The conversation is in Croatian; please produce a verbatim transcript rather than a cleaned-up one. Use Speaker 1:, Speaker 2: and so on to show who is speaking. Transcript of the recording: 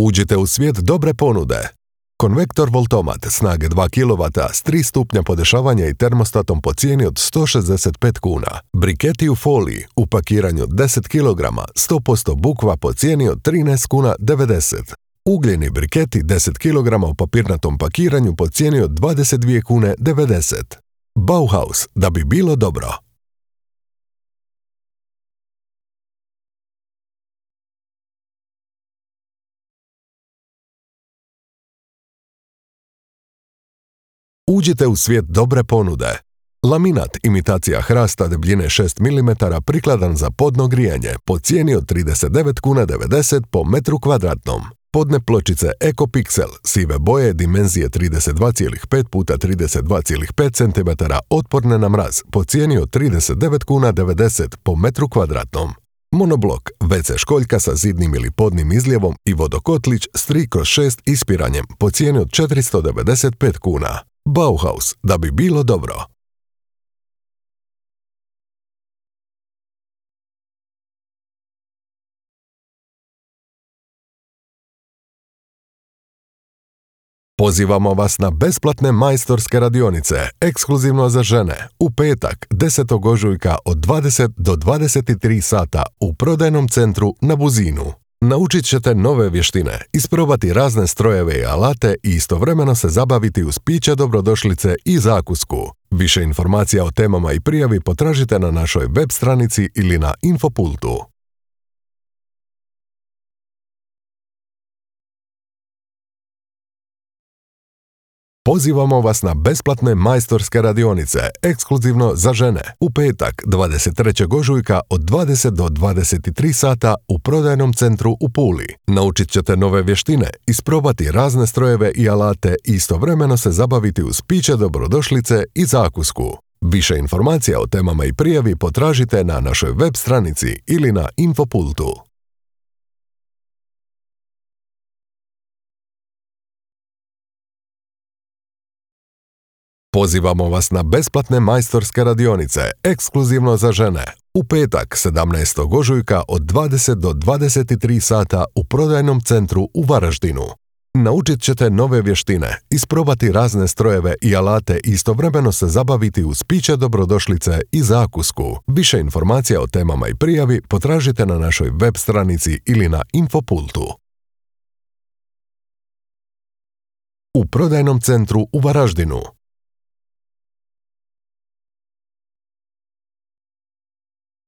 Speaker 1: Uđite u svijet dobre ponude. Konvektor Voltomat snage dva kilovata s tri stupnja podešavanja i termostatom po cijeni od sto šezdeset pet kuna. Briketi u foliji u pakiranju deset kilograma sto posto bukva po cijeni od trinaest kuna devedeset. Ugljeni briketi deset kilograma u papirnatom pakiranju po cijeni od dvadeset dvije kune devedeset. Bauhaus, da bi bilo dobro. Uđite u svijet dobre ponude. Laminat imitacija hrasta debljine šest milimetara prikladan za podno grijanje po cijeni od trideset devet kuna devedeset po metru kvadratnom. Podne pločice EcoPixel sive boje dimenzije trideset dva zarez pet puta trideset dva zarez pet centimetara otporne na mraz po cijeni od trideset devet kuna devedeset po metru kvadratnom. Monoblok ve ce školjka sa zidnim ili podnim izljevom i vodokotlić s tri kroz šest ispiranjem po cijeni od četiristo devedeset pet kuna. Bauhaus, da bi bilo dobro. Pozivamo vas na besplatne majstorske radionice, ekskluzivno za žene, u petak, desetog ožujka od dvadeset do dvadeset tri sata u prodajnom centru na Buzinu. Naučit ćete nove vještine, isprobati razne strojeve i alate i istovremeno se zabaviti uz piće dobrodošlice i zakusku. Više informacija o temama i prijavi potražite na našoj web stranici ili na Infopultu. Pozivamo vas na besplatne majstorske radionice, ekskluzivno za žene, u petak, dvadeset trećeg ožujka od dvadeset do dvadeset tri sata u prodajnom centru u Puli. Naučit ćete nove vještine, isprobati razne strojeve i alate i istovremeno se zabaviti uz piće dobrodošlice i zakusku. Više informacija o temama i prijavi potražite na našoj web stranici ili na Infopultu. Pozivamo vas na besplatne majstorske radionice, ekskluzivno za žene, u petak, sedamnaestog ožujka od dvadeset do dvadeset tri sata u prodajnom centru u Varaždinu. Naučit ćete nove vještine, isprobati razne strojeve i alate i istovremeno se zabaviti uz piće dobrodošlice i zakusku. Više informacija o temama i prijavi potražite na našoj web stranici ili na Infopultu. U prodajnom centru u Varaždinu.